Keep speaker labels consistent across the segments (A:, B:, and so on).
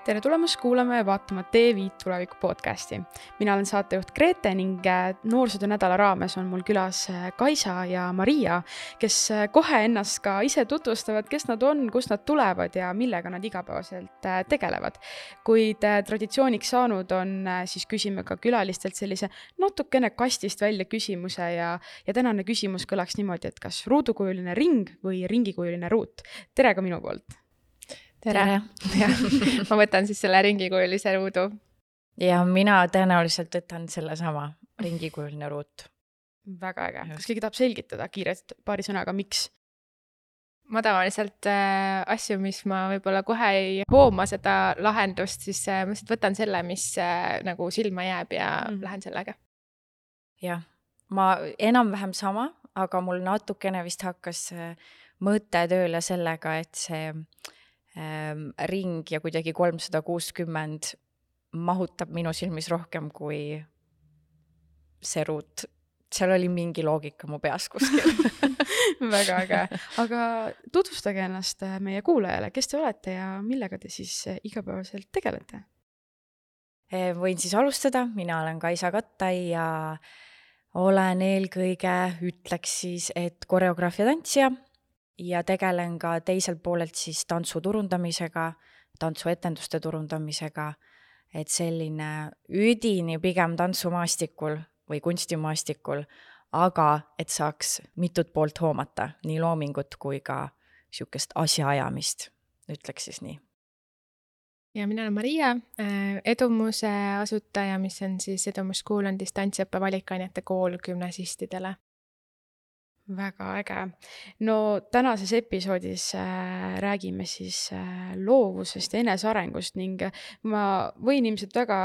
A: Tere tulemast kuulama ja vaatama T5 tuleviku podcasti. Mina olen saatejuht Grete ning noorsootöö nädala raames on mul külas Kaisa ja Maria, kes kohe ennast ka ise tutvustavad, kes nad on, kust nad tulevad ja millega nad igapäevaselt tegelevad. Kuid traditsiooniks saanud on, siis küsime ka külalistelt sellise natukene kastist välja küsimuse ja tänane küsimus kõlaks niimoodi, et kas ruudukujuline ring või ringikujuline ruut. Tere ka minu poolt!
B: Tere. Ma võtan siis selle ringikujulise ruudu.
C: Ja mina tõenäoliselt võtan selle sama ringikujuline ruut.
A: Väga äge. Kas keegi tahab selgitada kiirelt paari sõnaga, miks?
B: Ma tavaliselt asju, mis ma võib-olla kohe ei hooma seda lahendust, siis ma võtan selle, mis nagu silma jääb ja lähen sellega.
C: Jah, ma enam-vähem sama, aga mul natukene vist hakkas mõte tööle sellega, et see ring ja kuidagi 360 mahutab minu silmis rohkem kui see ruut. Seal oli mingi loogika mu peas kuskil.
A: Väga äge. Aga tutvustage ennast meie kuulajale. Kes te olete ja millega te siis igapäevaselt tegelete?
C: Võin siis alustada. Mina olen Kaisa Kattai ja olen eelkõige, ütleks siis, et koreograafia tantsija. Ja tegelen ka teiselt poolelt siis tantsu turundamisega, tantsuetenduste turundamisega, et selline üdini pigem tantsumaastikul või kunstimaastikul, aga et saaks mitut poolt hoomata, nii loomingut kui ka siukest asjaajamist, ütleks siis nii.
B: Ja mina olen Maria, Edumuse asutaja, mis on siis Edumus School on distantsõppe valikainete kool gümnasistidele.
A: Väga äge. No tänases episoodis räägime siis loovusest ja enesearengust ning ma võin ilmselt väga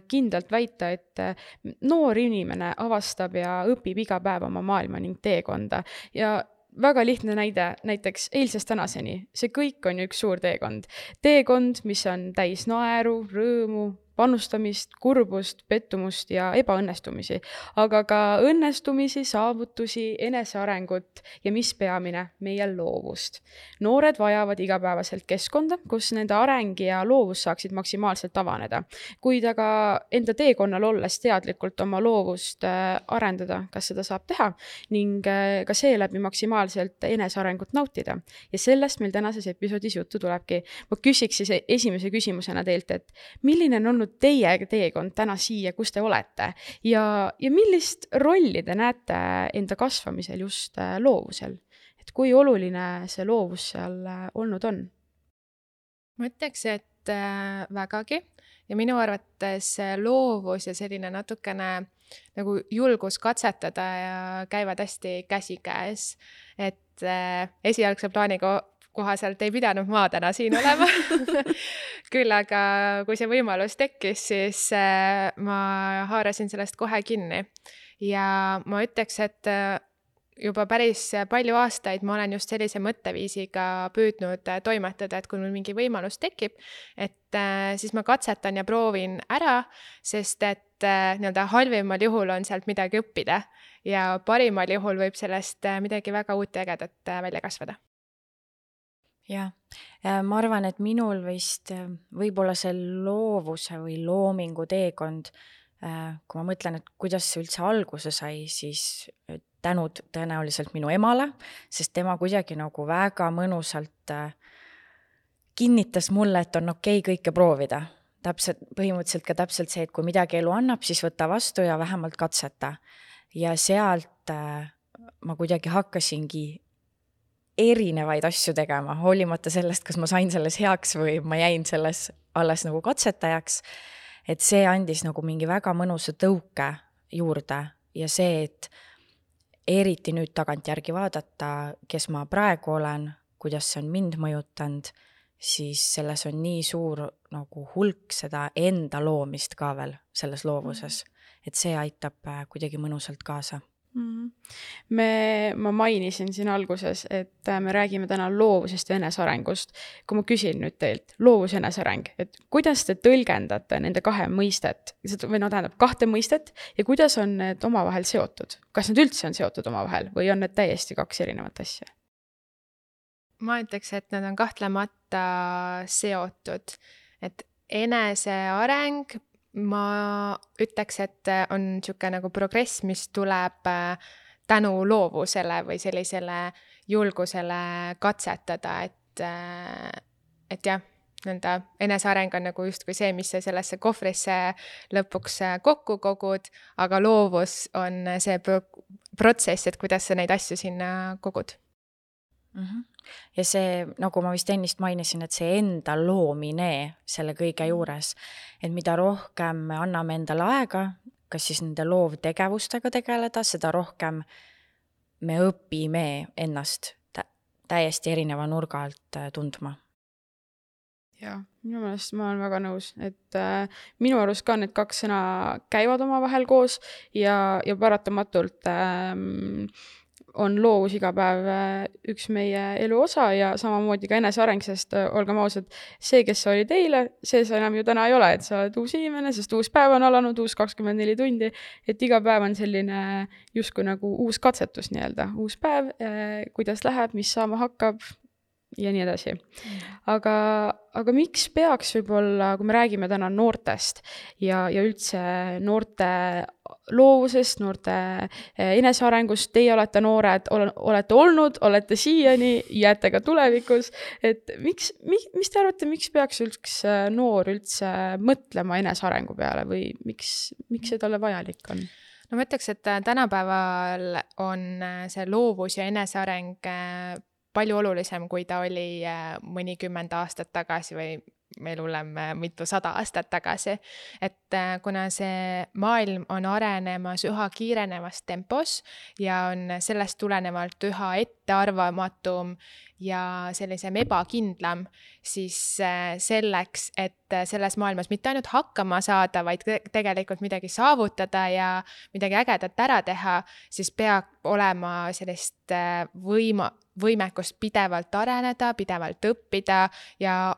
A: kindlalt väita, et noor inimene avastab ja õpib iga päev oma maailma ning teekonda ja väga lihtne näide, näiteks eilsest tänaseni. See kõik on üks suur teekond. Teekond, mis on täis naeru, rõõmu, panustamist, kurbust, pettumust ja ebaõnnestumisi, aga ka õnnestumisi, saavutusi, enesearengut ja mis peamine, meie loovust. Noored vajavad igapäevaselt keskkonda, kus nende areng ja loovus saaksid maksimaalselt avaneda. Kuid aga enda teekonnal olles teadlikult oma loovust arendada, kas seda saab teha ning ka seeläbi maksimaalselt enesearengut nautida. Ja sellest meil tänases episoodis juttu tulebki. Ma küsiks siis esimese küsimusena teilt, et milline on olnud teie teekond täna siia, kus te olete ja millist rolli te näete enda kasvamisel just loovusel? Et kui oluline see loovus seal olnud on?
B: Ma ütleks, et vägagi ja minu arvates loovus ja selline natukene nagu julgus katsetada ja käivad hästi käsikäes, et esialgse plaani kohaselt ei pidanud ma täna siin olema. Küll aga kui see võimalus tekkis, siis ma haarasin sellest kohe kinni. Ja ma ütleks, et juba päris palju aastaid ma olen just sellise mõtteviisiga püüdnud toimetada, et kui mul mingi võimalus tekib, et siis ma katsetan ja proovin ära, sest et nii-öelda halvimal juhul on sealt midagi õppida ja parimal juhul võib sellest midagi väga uut ja ägedat välja kasvada.
C: Ja, ma arvan, et minul vist võib-olla see loovuse või loomingu teekond, kui ma mõtlen, et kuidas see üldse alguse sai, siis tänud tõenäoliselt minu emale, sest tema kuidagi nagu väga mõnusalt kinnitas mulle, et on okei kõike proovida. Põhimõtteliselt ka täpselt see, et kui midagi elu annab, siis võta vastu ja vähemalt katseta. Ja sealt ma kuidagi hakkasingi erinevaid asju tegema, hoolimata sellest, kas ma sain selles heaks või ma jäin selles alles nagu katsetajaks, et see andis nagu mingi väga mõnusa tõuke juurde ja see, et eriti nüüd tagantjärgi vaadata, kes ma praegu olen, kuidas see on mind mõjutanud, siis selles on nii suur nagu hulk seda enda loomist ka veel selles loovuses, et see aitab kuidagi mõnusalt kaasa.
A: Ma mainisin siin alguses, et me räägime täna loovusest ja enesearengust. Kui ma küsin nüüd teilt, loovus ja eneseareng, et kuidas te tõlgendate nende kahe mõistet, või tähendab kahte mõistet ja kuidas on need omavahel seotud? Kas need üldse on seotud omavahel või on need täiesti kaks erinevat asja?
B: Ma ütleks, et nad on kahtlemata seotud, et eneseareng, ma ütleks, et on niisugune nagu progress, mis tuleb tänu loovusele või sellisele julgusele katsetada, et jah, nõnda eneseareng on nagu justkui see, mis sa sellesse kohvrisse lõpuks kokku kogud, aga loovus on see protsess, et kuidas sa neid asju sinna kogud.
C: Ja see, nagu ma vist ennist mainisin, et see enda loomine selle kõige juures, et mida rohkem me anname endale aega, kas siis nende loovtegevustega tegeleda, seda rohkem me õpime ennast täiesti erineva nurga alt tundma.
A: Jah, minu meelest ma olen väga nõus, et minu arust ka need kaks sõna käivad omavahel koos ja paratamatult on loovus iga päev üks meie elu osa ja samamoodi ka eneseareng, sest olgem ausad, see, kes sa olid eile, see sa enam ju täna ei ole, et sa oled uus inimene, sest uus päev on alanud, uus 24 tundi, et iga päev on selline justkui nagu uus katsetus nii-öelda, uus päev, kuidas läheb, mis saama hakkab ja nii edasi. Aga miks peaks võib-olla, kui me räägime täna noortest ja üldse noorte loovusest, noorte enesearengust, teie olete noored, olete olnud, olete siiani, jääte ka tulevikus, et mis te arvate, miks peaks üks noor üldse mõtlema enesearengu peale või miks see talle vajalik on?
B: No ma ütleks, et tänapäeval on see loovus ja eneseareng palju olulisem, kui ta oli mõnikümmend aastat tagasi või meil hullem mitu 100 aastat tagasi. Et kuna see maailm on arenemas üha kiirenevas tempos ja on sellest tulenevalt üha ettearvamatum ja sellisem ebakindlam, siis selleks, et selles maailmas mitte ainult hakkama saada, vaid tegelikult midagi saavutada ja midagi ägedat ära teha, siis peab olema sellist võimekust pidevalt areneda, pidevalt õppida ja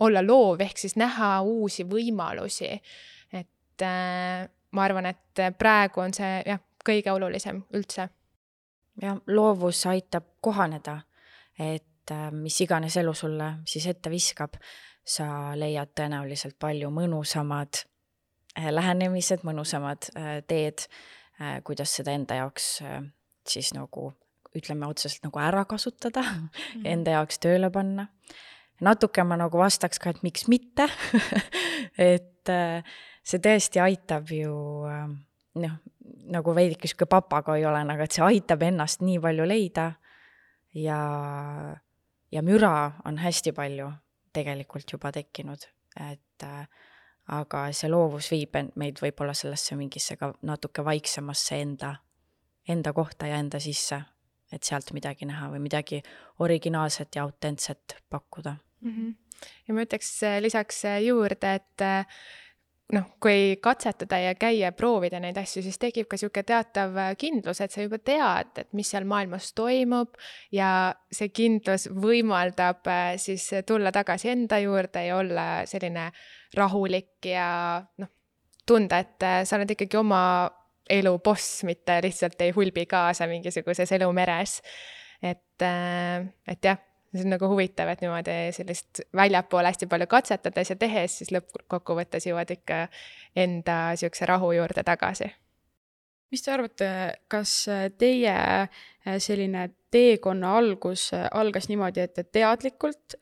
B: olla loov, ehk siis näha uusi võimalusi. Et ma arvan, et praegu on see kõige olulisem üldse.
C: Ja loovus aitab kohaneda, et mis iganes elu sulle siis ette viskab, sa leiad tõenäoliselt palju mõnusamad lähenemised, mõnusamad teed, kuidas seda enda jaoks siis nagu, ütleme otseselt nagu ära kasutada, enda jaoks tööle panna. Natuke ma nagu vastaks ka, et miks mitte, et see tõesti aitab ju, nagu veidike siuke papagoi olen, aga et see aitab ennast nii palju leida ja müra on hästi palju tegelikult juba tekkinud, et aga see loovus viib meid võib-olla sellesse mingisse ka natuke vaiksemasse enda kohta ja enda sisse, et sealt midagi näha või midagi originaalset ja autentset pakkuda.
B: Ja ma ütleks lisaks juurde, et kui katsetada ja käia proovida neid asju, siis tekib ka siuke teatav kindlus, et sa juba tead, et mis seal maailmas toimub ja see kindlus võimaldab siis tulla tagasi enda juurde ja olla selline rahulik ja tunda, et sa oled ikkagi oma elu boss, mitte lihtsalt ei hulbi kaasa mingisuguses elumeres. Et jah, see on nagu huvitav, et niimoodi sellist väljapoole hästi palju katsetades ja tehes, siis lõppkokkuvõttes jõuad ikka enda siukse rahu juurde tagasi.
A: Mis te arvate, kas teie selline teekonna algas niimoodi, et te teadlikult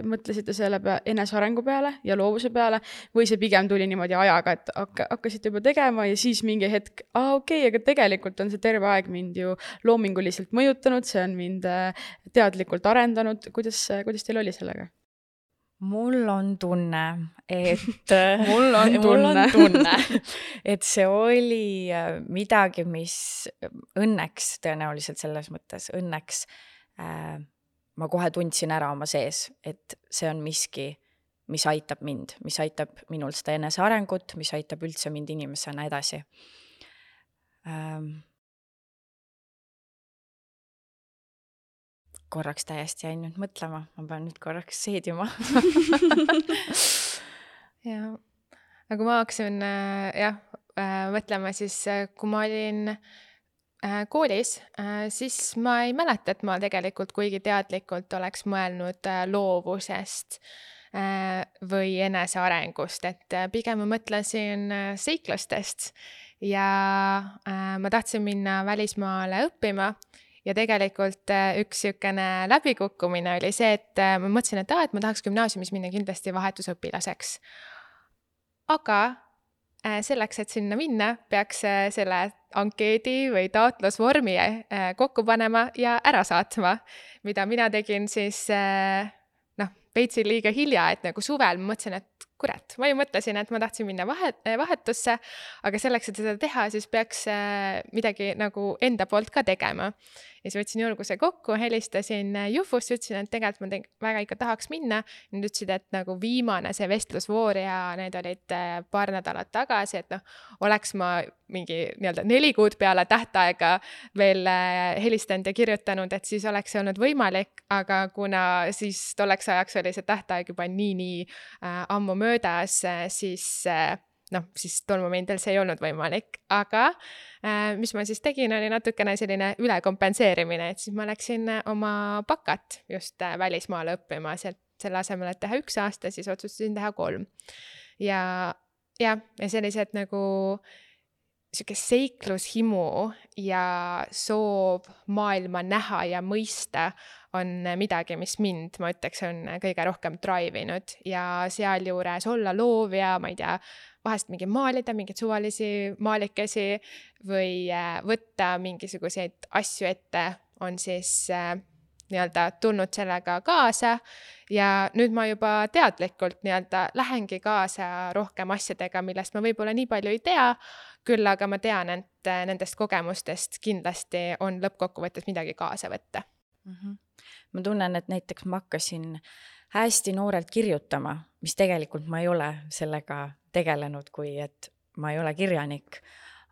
A: mõtlesite selle enesearengu peale ja loovuse peale või see pigem tuli niimoodi ajaga, et hakkasite juba tegema ja siis mingi hetk, okei, aga tegelikult on see terve aeg mind ju loominguliselt mõjutanud, see on mind teadlikult arendanud. Kuidas teil oli sellega?
C: Mul on tunne, et
A: mul on tunne,
C: et see oli midagi, mis õnneks tõenäoliselt selles mõttes, õnneks ma kohe tundsin ära oma sees, et see on miski, mis aitab mind, mis aitab minul seda enesearengut, mis aitab üldse mind inimesena edasi. Korraks täiesti jäin nüüd mõtlema, ma pean nüüd korraks seedima.
B: Ja, aga ma hakkasin mõtlema siis, kui ma olin koolis, siis ma ei mäleta, et ma tegelikult kuigi teadlikult oleks mõelnud loovusest või enesearengust, et pigem ma mõtlesin seiklustest ja ma tahtsin minna välismaale õppima ja tegelikult üks niisugune läbikukkumine oli see, et ma mõtlesin, et ma tahaks gümnaasiumis minna kindlasti vahetusõpilaseks. Aga selleks, et sinna minna, peaks selle ankeedi või taotlusvormi kokku panema ja ära saatma, mida mina tegin siis veitsi liiga hilja, et nagu suvel ma mõtlesin, et kurat, ma ju mõtlesin, et ma tahtsin minna vahetusse, aga selleks, et seda teha, siis peaks midagi nagu enda poolt ka tegema. Ja siis võtsin julguse kokku, helistasin Jufusse, ütlesin, et tegelikult ma väga ikka tahaks minna. Nad ütlesid, et nagu viimane see vestlusvoor ja need olid paar nädalat tagasi, et oleks ma mingi 4 kuud peale tähtaega veel helistanud ja kirjutanud, et siis oleks see olnud võimalik, aga kuna siis tolleks ajaks oli see tähtaeg juba nii ammu möödas, siis tol momendil see ei olnud võimalik, aga mis ma siis tegin, oli natukene selline ülekompenseerimine, et siis ma läksin oma bakat just välismaale õppima, selle asemel, et teha 1 aasta, siis otsustasin teha 3. Ja sellised nagu siuke seiklushimu ja soov maailma näha ja mõista on midagi, mis mind, ma ütleks, on kõige rohkem drive'inud ja sealjuures olla loov ja ma ei tea, vahest mingi maalida, mingeid suvalisi maalikesi või võtta mingisuguseid asju ette, on siis tulnud sellega kaasa ja nüüd ma juba teadlikult lähengi kaasa rohkem asjadega, millest ma võib-olla nii palju ei tea, küll aga ma tean, et nendest kogemustest kindlasti on lõppkokkuvõttes midagi kaasa võtta.
C: Ma tunnen, et näiteks ma hakkasin hästi noorelt kirjutama, mis tegelikult ma ei ole sellega tegelenud, kui et ma ei ole kirjanik,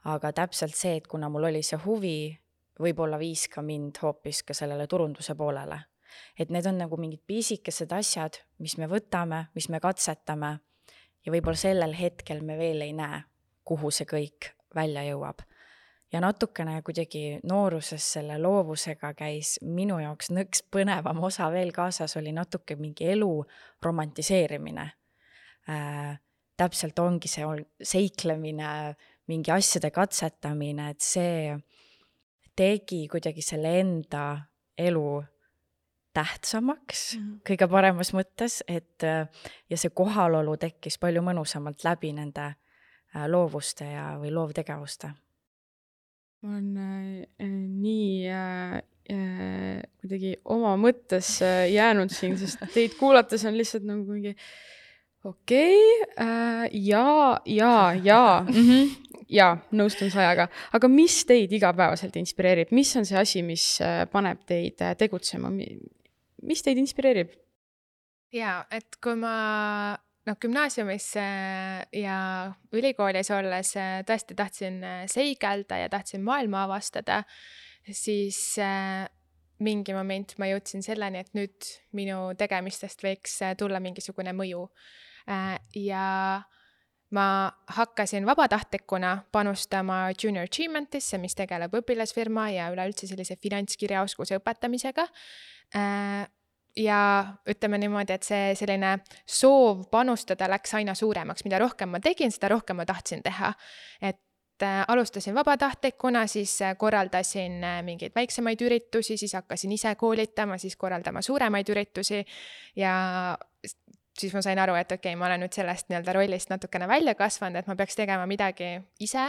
C: aga täpselt see, et kuna mul oli see huvi, võib-olla viis ka mind hoopis ka sellele turunduse poolele. Et need on nagu mingid pisikesed asjad, mis me võtame, mis me katsetame ja võib-olla sellel hetkel me veel ei näe, kuhu see kõik välja jõuab. Ja natukene kuidagi nooruses selle loovusega käis minu jaoks nõks põnevam osa veel kaasas, oli natuke mingi elu romantiseerimine. Täpselt ongi see seiklemine, mingi asjade katsetamine, et see tegi kuidagi selle enda elu tähtsamaks kõige paremas mõttes, et ja see kohalolu tekkis palju mõnusamalt läbi nende loovuste või loovtegevuste.
A: Ma olen nii kuidagi oma mõttes jäänud siin, sest teid kuulates on lihtsalt nagu mingi ja nõustun 100-ga. Aga mis teid igapäevaselt inspireerib? Mis on see asi, mis paneb teid tegutsema? Mis teid inspireerib?
B: Jaa, et kui ma gümnaasiumis ja ülikoolis olles tõesti tahtsin seigelda ja tahtsin maailma avastada, siis mingi moment ma jõudsin selleni, et nüüd minu tegemistest võiks tulla mingisugune mõju. Ja ma hakkasin vabatahtlikuna panustama Junior Achievementisse, mis tegeleb õpilasfirma ja üleüldse sellise finantskirjaoskuse õpetamisega. Ja ütleme niimoodi, et see selline soov panustada läks aina suuremaks. Mida rohkem ma tegin, seda rohkem ma tahtsin teha. Et alustasin vabatahtlikuna, siis korraldasin mingeid väiksemaid üritusi, siis hakkasin ise koolitama, siis korraldama suuremaid üritusi ja siis ma sain aru, et okei, ma olen nüüd sellest rollist natukene välja kasvanud, et ma peaks tegema midagi ise,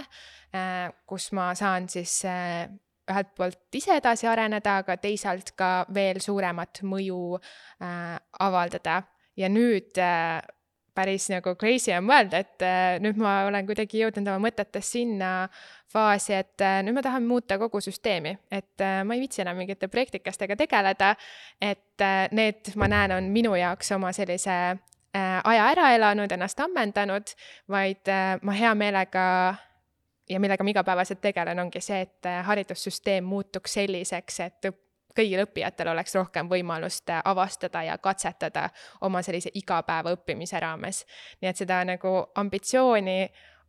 B: kus ma saan siis ühelt poolt ise edasi areneda, aga teisalt ka veel suuremat mõju avaldada. Ja nüüd päris nagu crazy on mõelda, et nüüd ma olen kuidagi jõudnud oma mõtetes sinna faasi, et nüüd ma tahan muuta kogu süsteemi, et ma ei viitsi enam mingite projektikastega tegeleda, et need, ma näen, on minu jaoks oma sellise aja ära elanud, ennast ammendanud, vaid ma hea meelega ja millega ma igapäevaselt tegelen, ongi see, et haridussüsteem muutuks selliseks, et kõigil õppijatel oleks rohkem võimalust avastada ja katsetada oma sellise igapäeva õppimise raames. Nii et seda nagu ambitsiooni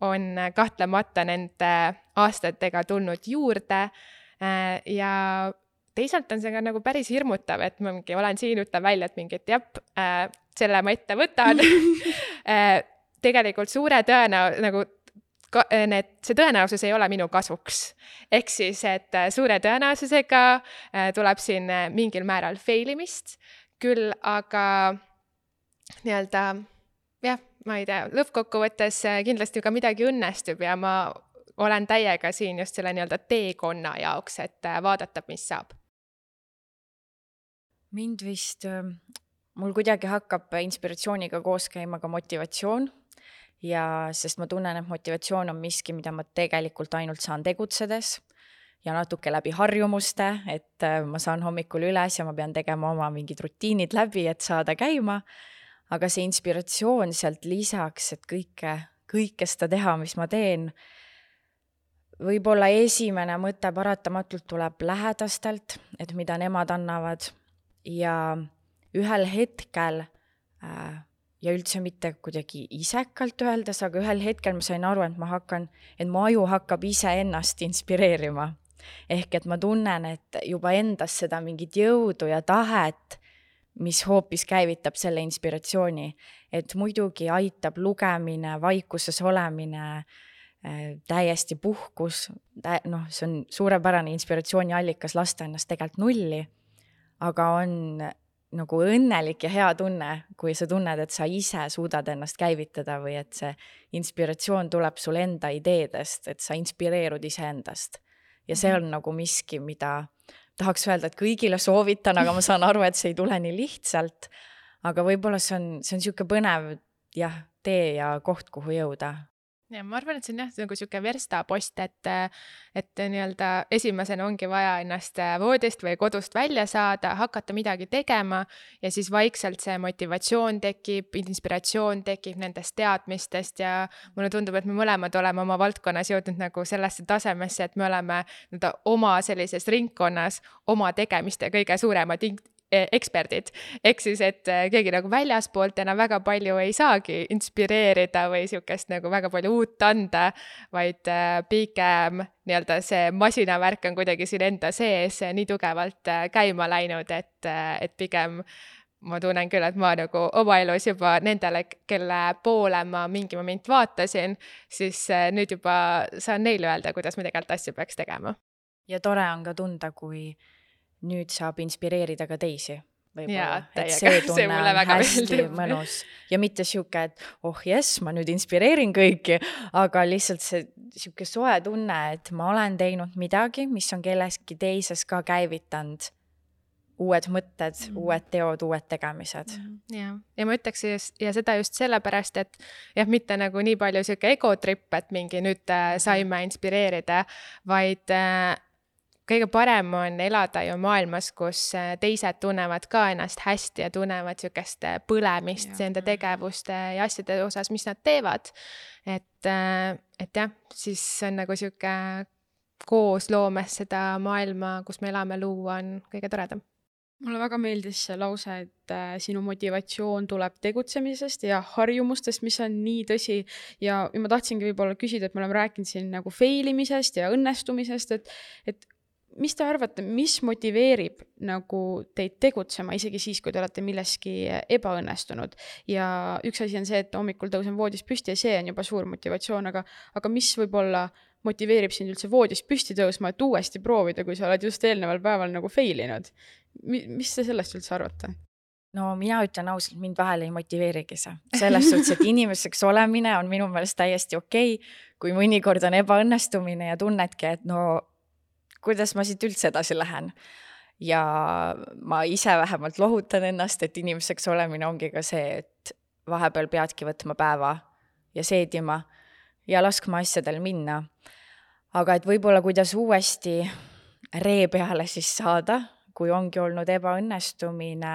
B: on kahtlemata nende aastatega tulnud juurde Ja teisalt on see ka nagu päris hirmutav, et ma mingi olen siin, ütlen välja, et mingi, et selle ma ette võtan. Tegelikult suure nagu see tõenäosus ei ole minu kasuks. Ehk siis, et suure tõenäosusega tuleb siin mingil määral failimist, küll aga nii-öelda, ma ei tea, lõppkokkuvõttes kindlasti ka midagi õnnestub ja ma olen täiega siin just selle nii-öelda teekonna jaoks, et vaadata, mis saab.
C: Mind vist, mul kuidagi hakkab inspiratsiooniga koos käima ka motivatsioon ja sest ma tunnen, et motivatsioon on miski, mida ma tegelikult ainult saan tegutsedes ja natuke läbi harjumuste, et ma saan hommikul üles ja ma pean tegema oma mingid rutiinid läbi, et saada käima, aga see inspiratsioon sealt lisaks, et kõike seda teha, mis ma teen, võib-olla esimene mõte paratamatult tuleb lähedastelt, et mida nemad annavad ja ühel hetkel ja üldse mitte kuidagi isekalt öeldes, aga ühel hetkel ma sain aru, et mu aju hakkab ise ennast inspireerima. Ehk et ma tunnen, et juba endas seda mingit jõudu ja tahet, mis hoopis käivitab selle inspiratsiooni. Et muidugi aitab lugemine, vaikuses olemine, täiesti puhkus, see on suurepärane inspiratsiooni allikas lasta ennast tegelikult nulli, aga on nagu õnnelik ja hea tunne, kui sa tunned, et sa ise suudad ennast käivitada või et see inspiratsioon tuleb sul enda ideedest, et sa inspireerud iseendast. Ja see on nagu miski, mida tahaks öelda, et kõigile soovitan, aga ma saan aru, et see ei tule nii lihtsalt, aga võib-olla see on niisugune põnev tee ja koht, kuhu jõuda.
B: Ja ma arvan, et see on nagu siuke verstapost, et nii-öelda esimesena ongi vaja ennast voodist või kodust välja saada, hakata midagi tegema ja siis vaikselt see motivatsioon tekib, inspiratsioon tekib nendest teadmistest ja mulle tundub, et me mõlemad oleme oma valdkonnas jõudnud nagu sellesse tasemesse, et me oleme oma sellises ringkonnas oma tegemiste kõige suuremad eksperdid. Ehk siis, et keegi nagu väljaspoolt enam väga palju ei saagi inspireerida või siukest nagu väga palju uut anda, vaid pigem nii-öelda see masinavärk on kuidagi siin enda sees nii tugevalt käima läinud, et pigem ma tunnen küll, et ma nagu oma elus juba nendele, kelle poole ma mingi moment vaatasin, siis nüüd juba saan neile öelda, kuidas me tegelikult asju peaks tegema.
C: Ja tore on ka tunda, kui nüüd saab inspireerida ka teisi.
B: Jaa,
C: et see tunne on hästi mõnus. Ja mitte siuke, et jess, ma nüüd inspireerin kõiki, aga lihtsalt see siuke soe tunne, et ma olen teinud midagi, mis on kelleski teises ka käivitanud uued mõtted, uued teod, uued tegemised.
B: Ja ma ütleks ja seda just sellepärast, et mitte nagu nii palju siuke egotripp, et mingi nüüd saime inspireerida, vaid kõige parem on elada ju maailmas, kus teised tunnevad ka ennast hästi ja tunnevad siukest põlemist enda tegevuste ja asjade osas, mis nad teevad. Et siis on nagu siuke koos loomes seda maailma, kus me elame, luua on kõige toredam.
A: Mulle väga meeldis see lause, et sinu motivatsioon tuleb tegutsemisest ja harjumustest, mis on nii tõsi. Ja ma tahtsingi võib-olla küsida, et me oleme rääkinud siin nagu failimisest ja õnnestumisest, et mis te arvate, mis motiveerib nagu teid tegutsema, isegi siis, kui te olete milleski ebaõnnestunud? Ja üks asi on see, et hommikul tõusen voodist püsti ja see on juba suur motivatsioon, aga mis võib-olla motiveerib sind üldse voodist püsti tõusma, et uuesti proovida, kui sa oled just eelneval päeval nagu failinud? Mis te sellest üldse arvate?
C: No mina ütlen ausalt, mind vahel ei motiveerigi see. Selles suhtes, et inimeseks olemine on minu meelest täiesti okei, kui mõnikord on ebaõnnestumine ja tunnedki, et kuidas ma siit üldse edasi lähen. Ja ma ise vähemalt lohutan ennast, et inimeseks olemine ongi ka see, et vahepeal peadki võtma päeva ja seedima ja laskma asjadel minna. Aga et võib-olla kuidas uuesti ree peale siis saada, kui ongi olnud ebaõnnestumine.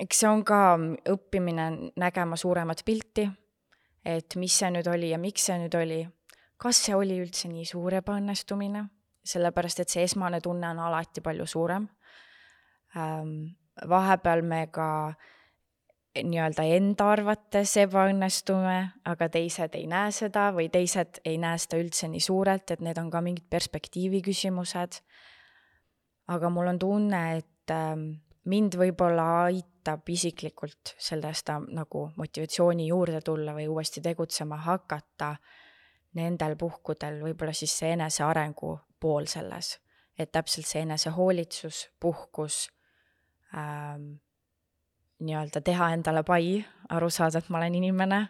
C: Eks see on ka õppimine nägema suuremat pilti, et mis see nüüd oli ja miks see nüüd oli. Kas see oli üldse nii suur ebaõnnestumine, sellepärast et see esmane tunne on alati palju suurem. Vahepeal me ka nii-öelda enda arvates ebaõnnestume, aga teised ei näe seda või teised ei näe seda üldse nii suurelt, et need on ka mingid perspektiivi küsimused. Aga mul on tunne, et mind võib-olla aitab isiklikult sellest nagu motivatsiooni juurde tulla või uuesti tegutsema hakata nendel puhkudel võib-olla siis see enesearengu pool selles, et täpselt see enesehoolitsus, puhkus, nii-öelda teha endale pai, aru saada, et ma olen inimene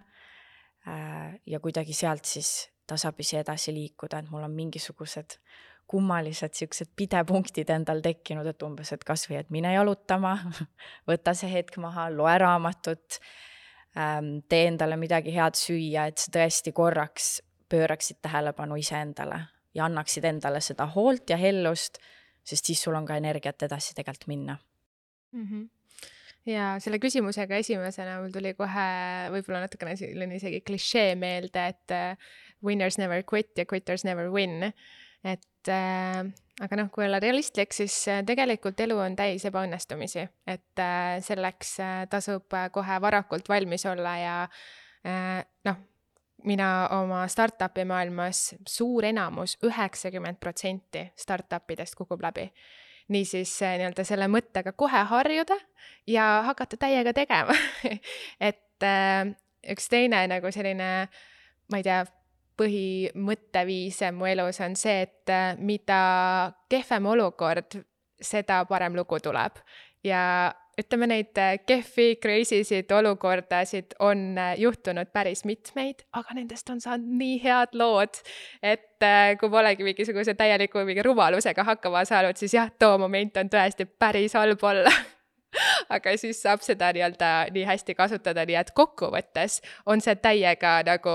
C: ja kuidagi sealt siis tasapisi edasi liikuda, et mul on mingisugused kummalised siuksed pidepunktid endal tekkinud, et umbes, et kas või, et mine jalutama, võta see hetk maha, loe raamatut, tee endale midagi head süüa, et sa tõesti korraks pööraksid tähelepanu iseendale ja annaksid endale seda hoolt ja hellust, sest siis sul on ka energiat edasi tegelikult minna.
B: Ja selle küsimusega esimesena mul tuli kohe võib-olla natukene selline isegi klišee meelde, et winners never quit ja quitters never win. Et aga noh, kui olla realistlik, siis tegelikult elu on täis ebaõnnestumisi, et selleks tasub kohe varakult valmis olla ja noh, mina oma startupi maailmas suur enamus, 90% startupidest kukub läbi. Niisiis nii-öelda selle mõttega kohe harjuda ja hakata täiega tegema. Et üks teine nagu selline, ma ei tea, põhimõtteviis mu elus on see, et mida kehvem olukord, seda parem lugu tuleb. Ja ütleme, neid kehvi, crazy'sid olukordasid on juhtunud päris mitmeid, aga nendest on saanud nii head lood, et kui polegi mingisuguse täieliku mingi rumalusega hakkama saanud, siis jah, too moment on tõesti päris halb olla. Aga siis saab seda nii hästi kasutada, nii et kokkuvõttes on see täiega nagu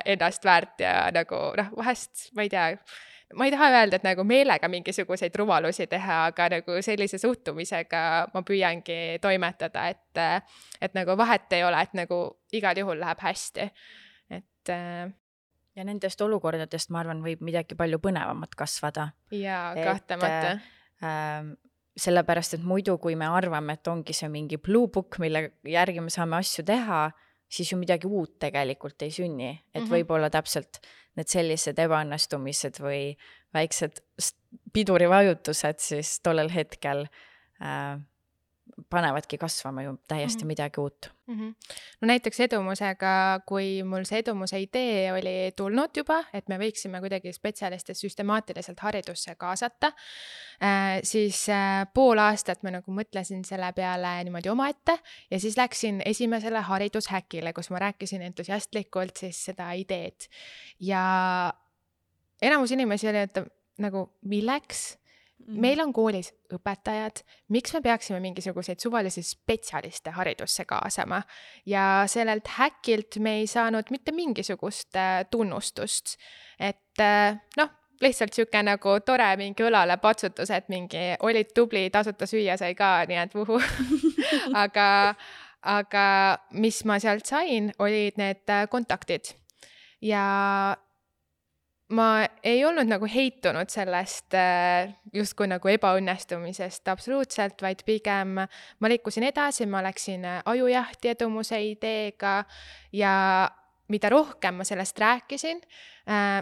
B: ennast väärt ja nagu vahest, ma ei taha öelda, et nagu meelega mingisuguseid rumalusi teha, aga nagu sellise suhtumisega ma püüangi toimetada, et nagu vahet ei ole, et nagu igal juhul läheb hästi. Et
C: ja nendest olukordadest, ma arvan, võib midagi palju põnevamat kasvada.
B: Jaa, kahtlemata.
C: Sellepärast, et muidu, kui me arvame, et ongi see mingi blue book, mille järgi me saame asju teha, siis ju midagi uut tegelikult ei sünni. Et võib-olla täpselt need sellised ebaõnnestumised või väiksed pidurivajutused siis tollel hetkel panevadki kasvama ju täiesti midagi uut.
B: No näiteks edumusega, kui mul see edumuse idee oli tulnud juba, et me võiksime kuidagi spetsialiste süstemaatiliselt haridusse kaasata, siis pool aastat ma nagu mõtlesin selle peale niimoodi omaette ja siis läksin esimesele haridushäkile, kus ma rääkisin entusiastlikult siis seda ideed. Ja enamus inimesi oli, et nagu milleks? Meil on koolis õpetajad, miks me peaksime mingisuguseid suvalisi spetsialiste haridusse kaasama ja sellelt häkilt me ei saanud mitte mingisugust tunnustust, et noh, lihtsalt siuke nagu tore mingi õlale patsutus, et mingi olid tubli, tasuta süüa sai ka, nii et vuhu. aga mis ma sealt sain, olid need kontaktid ja ma ei olnud nagu heitunud sellest justkui nagu ebaõnnestumisest absoluutselt, vaid pigem ma liikusin edasi, ma läksin ajujahti edumuse ideega ja mida rohkem ma sellest rääkisin,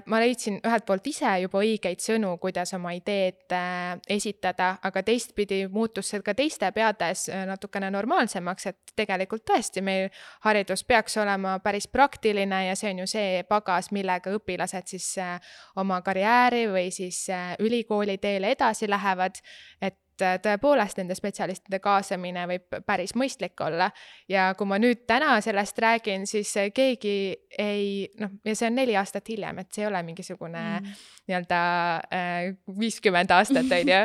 B: ma leidsin ühelt poolt ise juba õigeid sõnu, kuidas oma ideed esitada, aga teistpidi muutus see ka teiste peades natukene normaalsemaks, et tegelikult tõesti meil haridus peaks olema päris praktiline ja see on ju see pagas, millega õpilased siis oma karjääri või siis ülikooli teele edasi lähevad, et tõepoolest nende spetsialistide kaasamine võib päris mõistlik olla ja kui ma nüüd täna sellest räägin, siis keegi ei, noh, ja see on 4 aastat hiljem, et see ei ole mingisugune nii-öelda 50 aastat, on ju,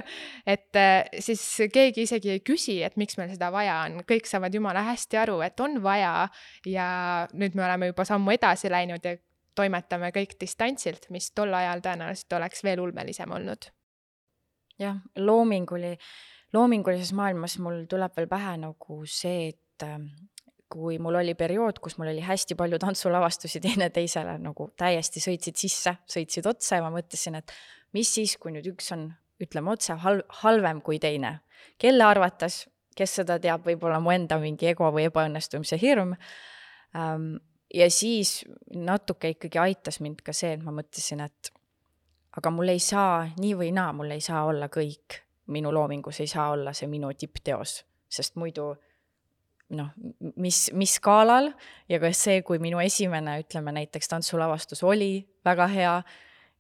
B: et siis keegi isegi ei küsi, et miks meil seda vaja on, kõik saavad jumala hästi aru, et on vaja ja nüüd me oleme juba sammu edasi läinud ja toimetame kõik distantsilt, mis tol ajal tõenäoliselt oleks veel ulmelisem olnud.
C: Jah, loomingulises maailmas mul tuleb veel pähe nagu see, et kui mul oli periood, kus mul oli hästi palju tantsulavastusi teine teisele, nagu täiesti sõitsid otsa ja ma mõtlesin, et mis siis, kui nüüd üks on, ütleme otse, halvem kui teine. Kelle arvates kes seda teab, võib-olla mu enda mingi ego või ebaõnnestumise hirm. Ja siis natuke ikkagi aitas mind ka see, et ma mõtlesin, et aga mul ei saa nii või naa, mul ei saa olla kõik. Minu loomingus ei saa olla see minu tippteos, sest muidu mis skaalal ja kas see, kui minu esimene, ütleme näiteks tantsulavastus oli väga hea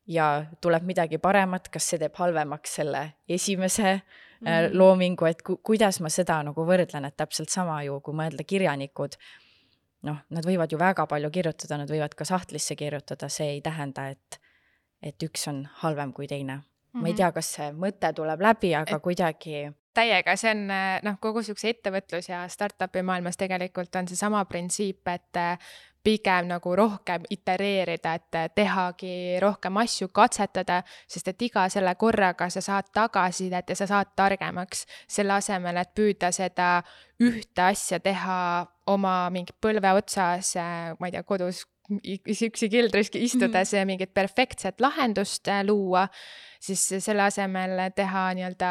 C: ja tuleb midagi paremat, kas see teeb halvemaks selle esimese loomingu, et kuidas ma seda nagu võrdlen, et täpselt sama ju, kui mõelda kirjanikud, nad võivad ju väga palju kirjutada, nad võivad ka sahtlisse kirjutada, see ei tähenda, et üks on halvem kui teine. Ma ei tea, kas see mõte tuleb läbi, aga kuidagi
B: täiega, see on kogu sükse ettevõtlus ja startupi maailmas tegelikult on see sama printsiip, et pigem nagu rohkem itereerida, et tehagi rohkem asju, katsetada, sest et iga selle korraga sa saad tagasisidet ja sa saad targemaks selle asemel, et püüda seda ühte asja teha oma mingi põlve otsas, ma ei tea, kodus üksi kildris istudes mingit perfektset lahendust luua, siis selle asemel teha nii-öelda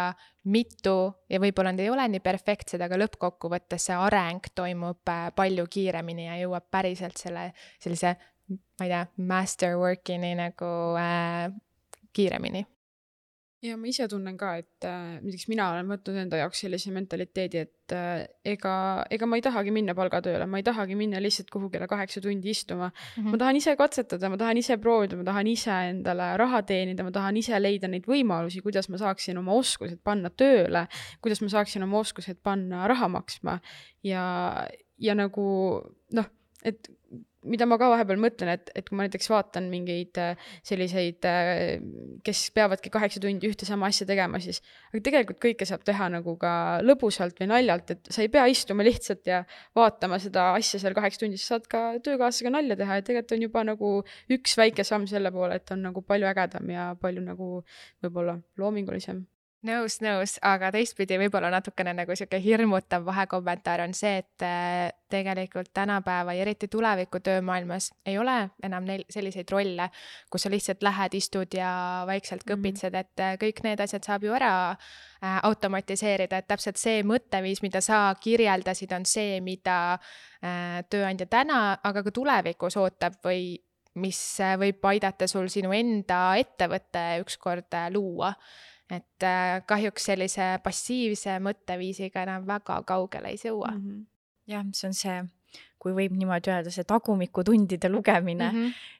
B: mitu ja võib-olla need ei ole nii perfektsed, aga lõppkokkuvõttes see areng toimub palju kiiremini ja jõuab päriselt sellise, ma ei tea, masterworkini nagu kiiremini.
A: Ja ma ise tunnen ka, et näiteks mina olen võtnud enda jaoks sellise mentaliteedi, et ega ma ei tahagi minna palgatööle, ma ei tahagi minna lihtsalt kuhugile 8 tundi istuma. Ma tahan ise katsetada, ma tahan ise proovida, ma tahan ise endale raha teenida, ma tahan ise leida neid võimalusi, kuidas ma saaksin oma oskused panna tööle, kuidas ma saaksin oma oskused panna raha maksma ja nagu et mida ma ka vahepeal mõtlen, et kui ma näiteks vaatan mingeid selliseid, kes peavadki 8 tundi ühte sama asja tegema, siis aga tegelikult kõike saab teha nagu ka lõbusalt või naljalt, et sa ei pea istuma lihtsalt ja vaatama seda asja seal 8 tundi, sa saad ka töökaaslasega nalja teha ja tegelikult on juba nagu üks väike samm selle poole, et on nagu palju ägedam ja palju nagu võib-olla loomingulisem.
B: Nõus, aga teistpidi võib-olla natukene nagu siuke hirmutav vahekommentaar on see, et tegelikult tänapäeva ja eriti tuleviku töömaailmas ei ole enam neil selliseid rolle, kus sa lihtsalt lähed, istud ja vaikselt kõpitsed, et kõik need asjad saab ju ära automatiseerida, et täpselt see mõtteviis, mida sa kirjeldasid, on see, mida tööandja täna, aga ka tulevikus ootab või mis võib aidata sul sinu enda ettevõtte ükskord luua. Et kahjuks sellise passiivse mõtteviisiga enam väga kaugele ei jõua.
C: Jah, see on see, kui võib niimoodi öelda, see tagumikutundide lugemine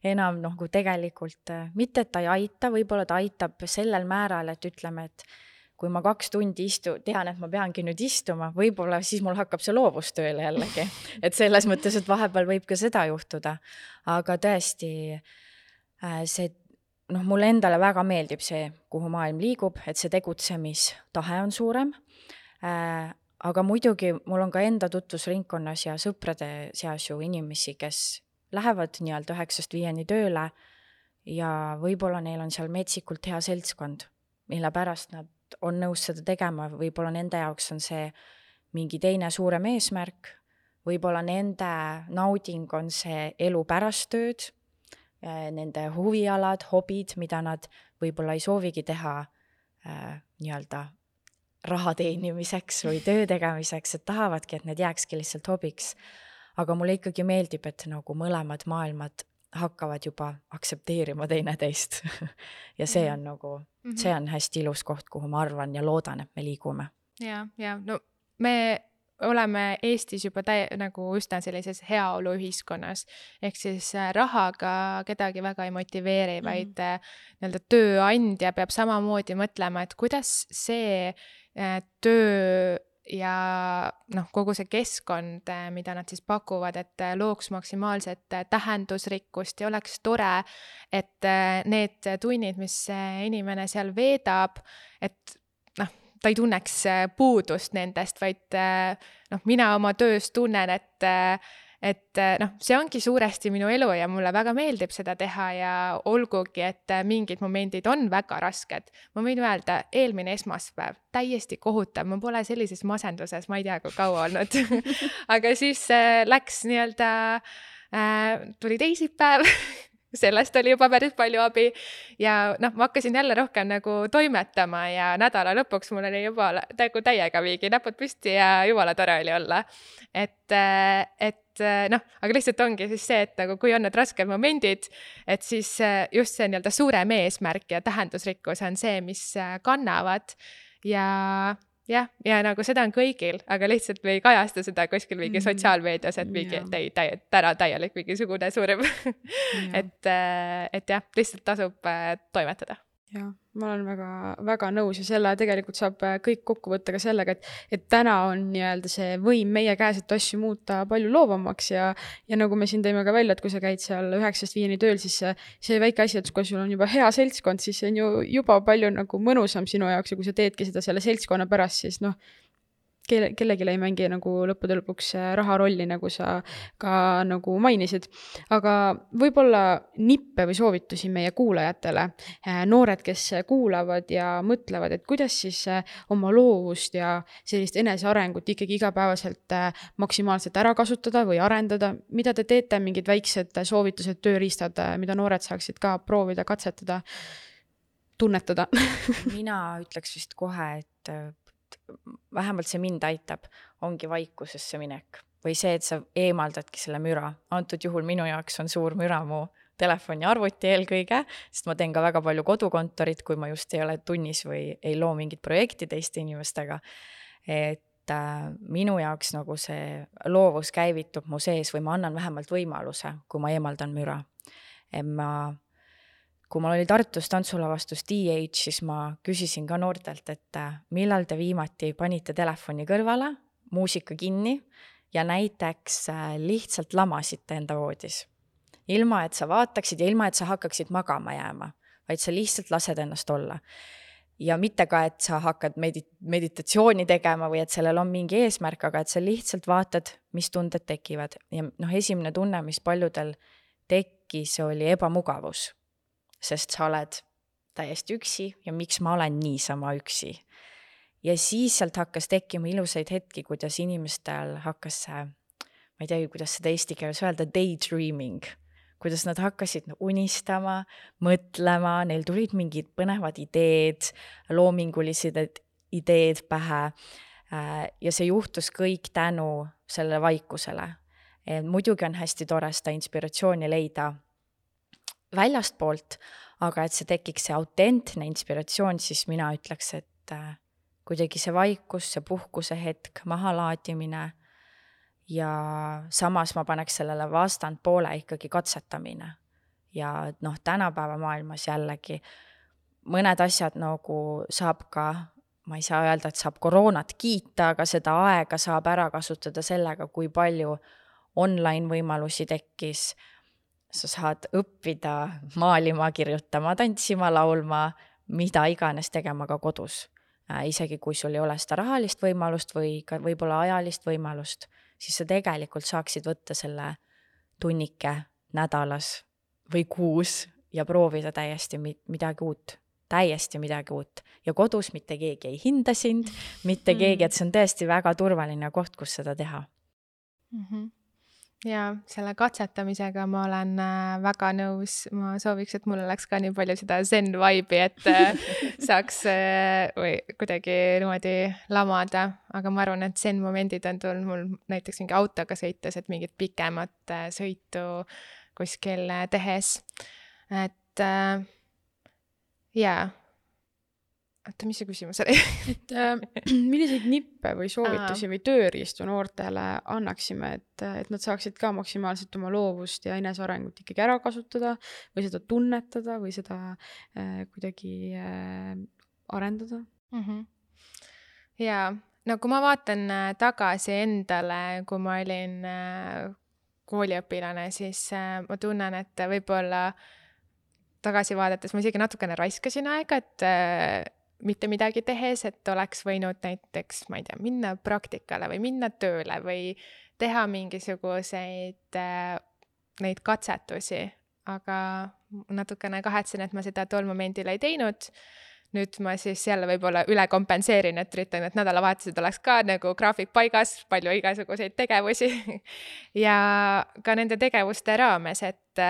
C: enam kui tegelikult, mitte et ta ei aita, võib-olla ta aitab sellel määral, et ütleme, et kui ma 2 tundi tean, et ma peangi nüüd istuma, võib-olla siis mul hakkab see loovustööle jällegi. Et selles mõttes, et vahepeal võib ka seda juhtuda. Aga tõesti, see mulle endale väga meeldib see, kuhu maailm liigub, et see tegutsemistahe on suurem. Aga muidugi mul on ka enda tutvusringkonnas ja sõprade seas ju inimesi, kes lähevad nii-öelda 9-5 tööle ja võib-olla neil on seal metsikult hea seltskond, mille pärast nad on nõus seda tegema. Võib-olla nende jaoks on see mingi teine suurem eesmärk, võib-olla nende nauding on see elu pärast tööd, nende huvialad, hobid, mida nad võib-olla ei soovigi teha nii-öelda raha teenimiseks või töö tegemiseks, et tahavadki, et need jääkski lihtsalt hobiks. Aga mulle ikkagi meeldib, et nagu mõlemad maailmad hakkavad juba aktsepteerima teineteist. Ja see on nagu, see on hästi ilus koht, kuhu ma arvan ja loodan, et me liigume.
B: Ja, no me oleme Eestis juba nagu üsna sellises heaolu ühiskonnas, ehk siis rahaga kedagi väga ei motiveeri, vaid nii-öelda tööandja peab samamoodi mõtlema, et kuidas see töö ja kogu see keskkond, mida nad siis pakuvad, et looks maksimaalset tähendusrikkust ja oleks tore, et need tunnid, mis inimene seal veedab, et ta ei tunneks puudust nendest, vaid mina oma töös tunnen, et see ongi suuresti minu elu ja mulle väga meeldib seda teha ja olgugi, et mingid momendid on väga rasked. Ma võin öelda, eelmine esmaspäev, täiesti kohutav, ma pole sellises masenduses, ma ei tea, kui kaua olnud. Aga siis läks nii-öelda, tuli teisipäev sellest oli juba päris palju abi ja noh, ma hakkasin jälle rohkem nagu toimetama ja nädala lõpuks mul oli juba nagu täiega viigi näpud püsti ja jumala tore oli olla. Et noh, aga lihtsalt ongi siis see, et nagu kui on need rasked momendid, et siis just see nii-öelda suurem eesmärk ja tähendusrikkus on see, mis kannavad ja nagu seda on kõigil, aga lihtsalt me ei kajasta seda kuskil mingi sotsiaalmeedias, et mingi täna täielik mingisugune suurim. et jah, lihtsalt tasub toimetada.
A: Jah, ma olen väga, väga nõus ja selle tegelikult saab kõik kokku võtta ka sellega, et täna on nii-öelda see võim meie käes, et asju muuta palju loovamaks ja nagu me siin tõime ka välja, et kui sa käid seal 9-5 tööl, siis see väike asi, et kui sul on juba hea seltskond, siis see on ju juba palju nagu mõnusam sinu jaoks ja kui sa teedki seda selle seltskonna pärast, siis noh, kellelegi ei mängi nagu lõppude lõpuks raha rolli, nagu sa ka nagu mainisid. Aga võib-olla nippe või soovitusi meie kuulajatele, noored, kes kuulavad ja mõtlevad, et kuidas siis oma loovust ja sellist enesearengut ikkagi igapäevaselt maksimaalselt ära kasutada või arendada. Mida te teete, mingid väiksed soovitused, tööriistad, mida noored saaksid ka proovida, katsetada, tunnetada?
C: Mina ütleks vist kohe, et vähemalt see mind aitab, ongi vaikusesse minek või see, et sa eemaldadki selle müra. Antud juhul minu jaoks on suur müra mu telefon ja arvuti eelkõige, sest ma teen ka väga palju kodukontorit, kui ma just ei ole tunnis või ei loo mingit projekti teiste inimestega. Et minu jaoks nagu see loovus käivitub mu sees või ma annan vähemalt võimaluse, kui ma eemaldan müra. Kui mul oli Tartus tantsulavastus DH, siis ma küsisin ka noortelt, et millal te viimati panite telefoni kõrvale, muusika kinni ja näiteks lihtsalt lamasite enda voodis. Ilma, et sa vaataksid ja ilma, et sa hakkaksid magama jääma, vaid sa lihtsalt lased ennast olla. Ja mitte ka, et sa hakkad meditatsiooni tegema või et sellel on mingi eesmärk, aga et sa lihtsalt vaatad, mis tunded tekivad. Ja esimene tunne, mis paljudel tekkis, oli ebamugavus. Sest sa oled täiesti üksi ja miks ma olen niisama üksi. Ja siis sealt hakkas tekkima ilusaid hetki, kuidas inimestel hakkas see, ma ei tea, kuidas seda eesti keeles öelda, daydreaming, kuidas nad hakkasid unistama, mõtlema, neil tulid mingid põnevad ideed, loomingulised ideed pähe ja see juhtus kõik tänu selle vaikusele. Muidugi on hästi tore seda inspiratsiooni leida väljast poolt, aga et see tekiks see autentne inspiratsioon, siis mina ütleks, et kuidagi see vaikus, see puhkuse hetk, mahalaadimine ja samas ma paneks sellele vastand poole ikkagi katsetamine. Ja tänapäeva maailmas jällegi mõned asjad nagu saab ka, ma ei saa öelda, et saab koroonat kiita, aga seda aega saab ära kasutada sellega, kui palju online võimalusi tekkis. Sa saad õppida maalima, kirjutama, tantsima, laulma, mida iganes tegema ka kodus. Isegi kui sul ei ole seda rahalist võimalust või ka võib-olla ajalist võimalust, siis sa tegelikult saaksid võtta selle tunnike nädalas või kuus ja proovida täiesti midagi uut. Täiesti midagi uut. Ja kodus mitte keegi ei hinda sind, mitte keegi, et see on tõesti väga turvaline koht, kus seda teha.
B: Ja selle katsetamisega ma olen väga nõus. Ma sooviks, et mul oleks ka nii palju seda zen vibe'i, et saaks või kuidagi niimoodi lamada. Aga ma arvan, et zen momendid on tulnud mul näiteks mingi autoga sõites, et mingit pikemat sõitu kuskil tehes. Et Oota, mis see küsimus oli?
A: Et milliseid nippe või soovitusi või tööriistu noortele annaksime, et nad saaksid ka maksimaalselt oma loovust ja enesearengut ikkagi ära kasutada või seda tunnetada või seda kuidagi arendada?
B: Ja kui ma vaatan tagasi endale, kui ma olin kooliõpilane, siis ma tunnen, et võib-olla tagasi vaadates ma isegi natukene raiskasin aega, et mitte midagi tehes, et oleks võinud näiteks, ma ei tea, minna praktikale või minna tööle või teha mingisuguseid neid katsetusi, aga natukene kahetsen, et ma seda tol momendil ei teinud. Nüüd ma siis jälle võib-olla üle kompenseerin, et üritan, et nädalavahetused oleks ka nagu graafik paigas, palju igasuguseid tegevusi ja ka nende tegevuste raames, et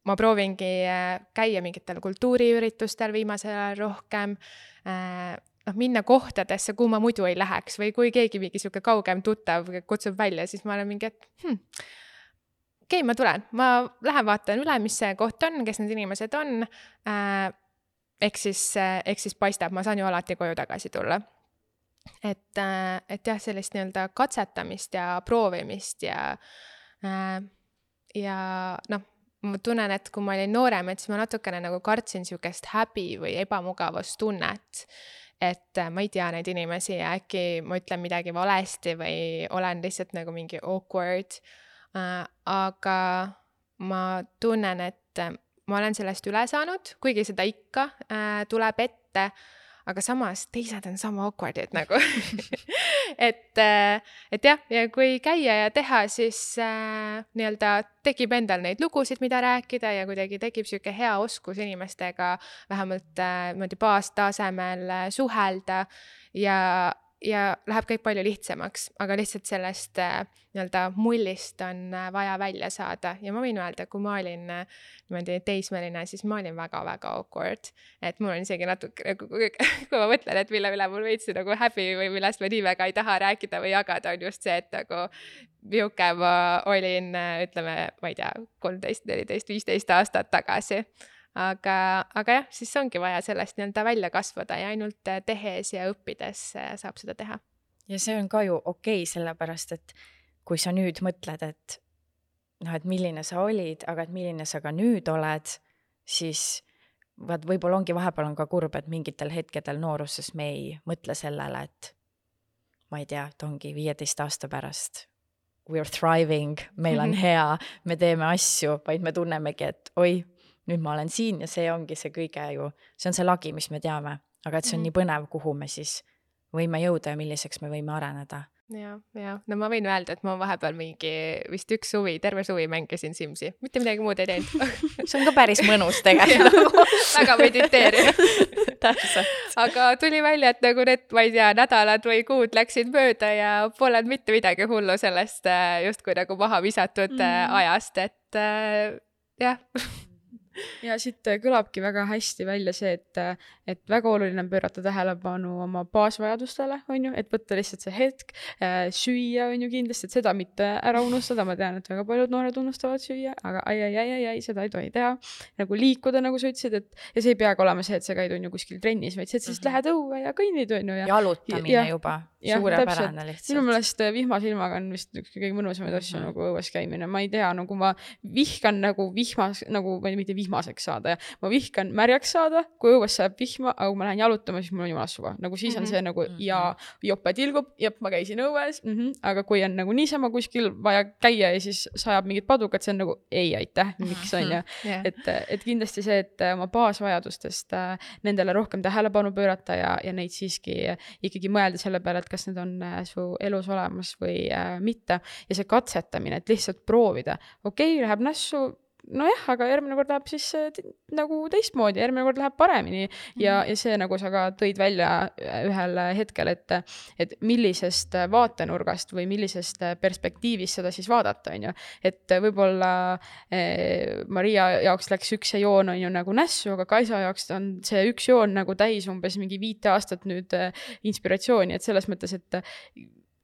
B: ma proovingi käia mingitel kultuuriüritustel viimasel ajal rohkem, minna kohtadesse, kuhu ma muidu ei läheks või kui keegi mingi siuke kaugem tuttav kutsub välja, siis ma olen mingi, et okei, ma tulen, ma lähen vaatan üle, mis see koht on, kes need inimesed on, eks siis paistab, ma saan ju alati koju tagasi tulla. Et jah, sellist nii-öelda katsetamist ja proovimist ja ma tunnen, et kui ma olin noorem, et siis ma natukene nagu kartsin siukest häbi või ebamugavustunnet, et ma ei tea neid inimesi ja äkki ma ütlen midagi valesti või olen lihtsalt nagu mingi awkward. Aga ma tunnen, et ma olen sellest üle saanud, kuigi seda ikka tuleb ette, aga samas teised on sama awkwardid nagu. et jah, ja kui käia ja teha, siis nii-öelda tekib endal neid lugusid, mida rääkida ja kuidagi tekib siuke hea oskus inimestega vähemalt baastasemel suhelda ja läheb kõik palju lihtsamaks, aga lihtsalt sellest nii-öelda mullist on vaja välja saada ja ma võin öelda, kui ma olin niimoodi teismeline, siis ma olin väga-väga awkward, et mul on isegi natuke, kui ma mõtlen, et mille mul veits nagu häbi või millest ma nii väga ei taha rääkida või jagada, on just see, et nagu milline ma olin, ütleme, ma ei tea, 13, 14, 15 aastat tagasi. Aga jah, siis ongi vaja sellest nii-öelda välja kasvada ja ainult tehes ja õppides saab seda teha.
C: Ja see on ka ju okei, sellepärast, et kui sa nüüd mõtled, et milline sa olid, aga et milline sa ka nüüd oled, siis võib-olla ongi vahepeal on ka kurb, et mingitel hetkedel nooruses me ei mõtle sellele, et ma ei tea, et ongi 15 aasta pärast we're thriving, meil on hea, me teeme asju, vaid me tunnemegi, et oi, nüüd ma olen siin ja see ongi see kõige ju, see on see lagi, mis me teame, aga et see on nii põnev, kuhu me siis võime jõuda ja milliseks me võime areneda.
B: Ja, no ma võin öelda, et ma vahepeal mingi vist terve suvi mängisin Simsi, mitte midagi muud ei teinud.
C: See on ka päris mõnus tegelikult.
B: Väga mediteeriv.
C: Täpselt.
B: Aga tuli välja, et nagu need, ma ei tea, nädalad või kuud läksid mööda ja polnud mitte midagi hullu sellest justkui nagu maha visatud ajast, et jah.
A: Ja siit kõlabki väga hästi välja see, et väga oluline on pöörata tähelepanu oma baasvajadustele, on ju, et võtta lihtsalt see hetk, süüa on ju kindlasti, et seda mitte ära unustada, ma tean, et väga paljud noored unustavad süüa, aga ai, seda ei tohi teha, nagu liikuda, nagu sa ütlesid, et ja see ei peagi olema see, et sa käid on ju kuskil trennis, vaid see, et sa lähed õue ja kõnnid on ju.
C: Jalutamine juba, suurepärane lihtsalt.
A: Minu meelest vihmasilmaga on vist kõige mõnusamaid asju nagu õues käimine, ma ei tea, nagu ma vihkan nagu vihmas, nagu mitte vihmaseks saada ja ma vihkan märjaks saada, kui õues sajab vihma, aga kui ma lähen jalutama, siis mul on jumala suva. Nagu siis on see nagu ja jope tilgub, jep, ma käisin õues, aga kui on nagu niisama kuskil vaja käia ja siis sajab mingid padukad, see on nagu ei aitäh, miks on ja et kindlasti see, et oma baasvajadustest nendele rohkem tähelepanu pöörata ja neid siiski ikkagi mõelda selle peale, et kas need on su elus olemas või mitte ja see katsetamine, et lihtsalt proovida. Okei, läheb nässu, nojah, aga järgmine kord läheb siis nagu teistmoodi, järgmine kord läheb paremini ja see, nagu sa ka tõid välja ühel hetkel, et millisest vaatenurgast või millisest perspektiivist seda siis vaadata, on ju. Et võib-olla Maria jaoks läks üks joon on ju nagu nässu, aga Kaisa jaoks on see üks joon nagu täis umbes mingi 5 aastat nüüd inspiratsiooni, et selles mõttes, et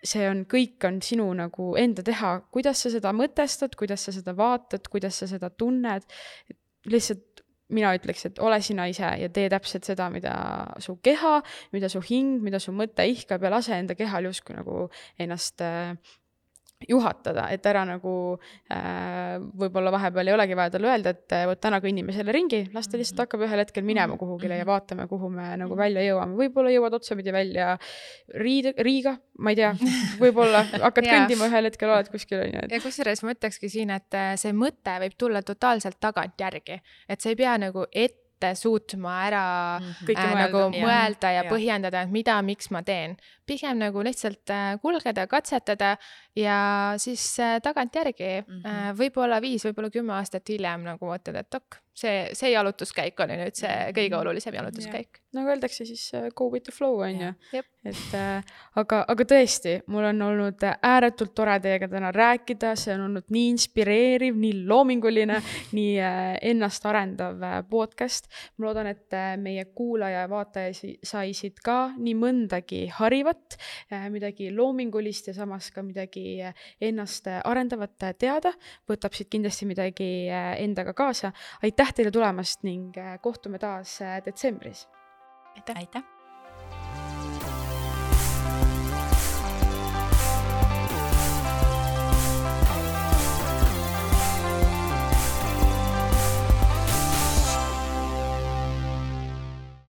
A: see on, kõik on sinu nagu enda teha, kuidas sa seda mõtestad, kuidas sa seda vaatad, kuidas sa seda tunned, lihtsalt mina ütleks, et ole sina ise ja tee täpselt seda, mida su keha, mida su hing, mida su mõte ihkab ja lase enda kehal justkui nagu ennast juhatada, et ära nagu võib-olla vahepeal ei olegi vaja talle öelda, et võt täna kõnnime selle ringi, las ta lihtsalt hakkab ühel hetkel minema kuhugile ja vaatame, kuhu me nagu välja jõuame. Võib-olla jõuad otsapidi välja Riiga, ma ei tea, võib-olla hakkad kõndima ühel hetkel, oled kuskil.
B: Ja kusjuures ma ütlekski siin, et see mõte võib tulla totaalselt tagant järgi, et sa ei pea nagu suutma ära nagu mõelda ja põhjendada, et mida, miks ma teen. Pigem nagu lihtsalt kulgeda, katsetada ja siis tagant järgi võib-olla 5, võib-olla 10 aastat hiljem nagu mõtled, et see jalutuskäik oli nüüd see kõige olulisem jalutuskäik.
A: Nagu öeldakse siis go with the flow, on ju.
B: Jep.
A: Et aga tõesti, mul on olnud ääretult tore teiega täna rääkida, see on olnud nii inspireeriv, nii loominguline, nii ennast arendav podcast. Ma loodan, et meie kuulaja ja vaataja saisid ka nii mõndagi harivat, midagi loomingulist ja samas ka midagi ennast arendavat teada. Võtab siit kindlasti midagi endaga kaasa. Aitäh teile tulemast ning kohtume taas detsembris.
C: Aitäh!